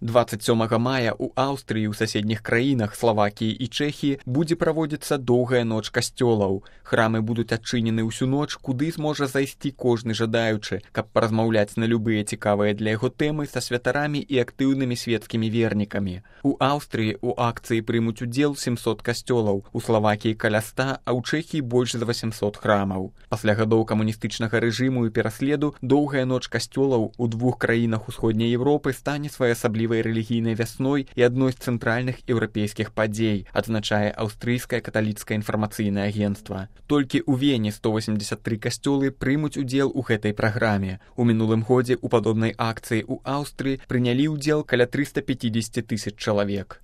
27 мая ў Аўстрыі ў суседніх краінах Славакіі і Чэхіі будзе праводзіцца доўгая ноч касцёлаў. Храмы будуць адчынены ўсю ноч, куды зможа зайсці кожны жадаючы, каб паразмаўляць на любыя цікавыя для яго тэмы са святарамі і актыўнымі светскімі вернікамі. У Аўстрыі ў акцыі прымуць удзел 700 касцёлаў, у Славакіі каля 100, а ў Чэхіі больш за 800 храмаў. Пасля гадоў камуністычнага рэжыму і пераследу доўгая ноч касцёлаў у двух краінах усходняй Еўропы стане своеасаблівай рэлігійнай вясной і адной з цэнтральных еўрапейскіх падзей, адзначае аўстрыйскае каталіцкае інфармацыйнае агенцтва. Толькі ў Вене 183 касцёлы прымуць удзел у гэтай праграме. У мінулым годзе ў падобнай акцыі ў Аўстрыі прынялі ўдзел каля 350 000 чалавек.